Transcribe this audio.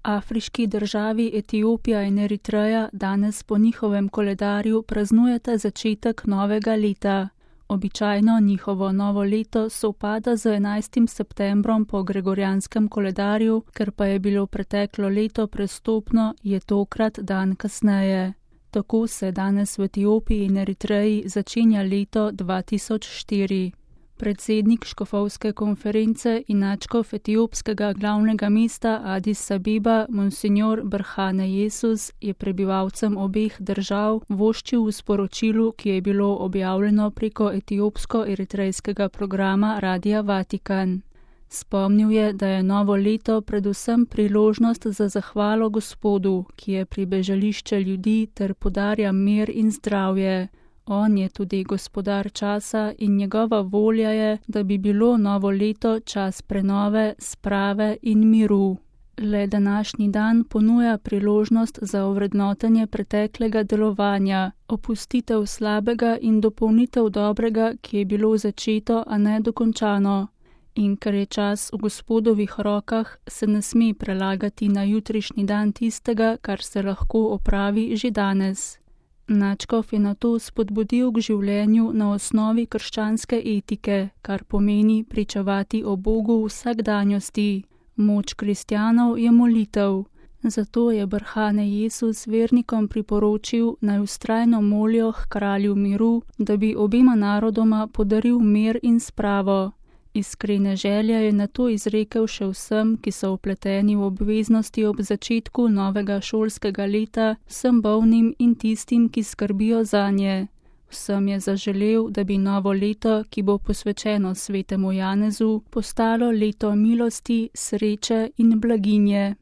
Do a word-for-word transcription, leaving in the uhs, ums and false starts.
Afriški državi Etiopija in Eritreja danes po njihovem koledarju praznujeta začetek novega leta. Običajno njihovo novo leto sovpada z enajstim septembrom po gregorjanskem koledarju, ker pa je bilo preteklo leto prestopno, je tokrat dan kasneje. Tako se danes v Etiopiji in Eritreji začenja leto dva tisoč štiri. Predsednik škofovske konference in nadškof etiopskega glavnega mesta Adis Abeba, monsignor Brhane Jesus, je prebivalcem obeh držav voščil v sporočilu, ki je bilo objavljeno preko etiopsko-eritrejskega programa Radia Vatikan. Spomnil je, da je novo leto predvsem priložnost za zahvalo Gospodu, ki je pribežališče ljudi ter podarja mir in zdravje. On je tudi gospodar časa in njegova volja je, da bi bilo novo leto čas prenove, sprave in miru. Le današnji dan ponuja priložnost za ovrednotenje preteklega delovanja, opustitev slabega in dopolnitev dobrega, ki je bilo začeto, a ne dokončano. In ker je čas v Gospodovih rokah, se ne sme prelagati na jutrišnji dan tistega, kar se lahko opravi že danes. Nadškof je nato spodbudil k življenju na osnovi krščanske etike, kar pomeni pričevati o Bogu v vsakdanjosti. Moč kristjanov je molitev. Zato je Brhane Jesus vernikom priporočil, naj vztrajno molijo k kralju miru, da bi obema narodoma podaril mir in spravo. Iskrene želje je nato izrekel še vsem, ki so vpleteni v obveznosti ob začetku novega šolskega leta, vsem bolnim in tistim, ki skrbijo zanje. Vsem je zaželel, da bi novo leto, ki bo posvečeno svetemu Janezu, postalo leto milosti, sreče in blaginje.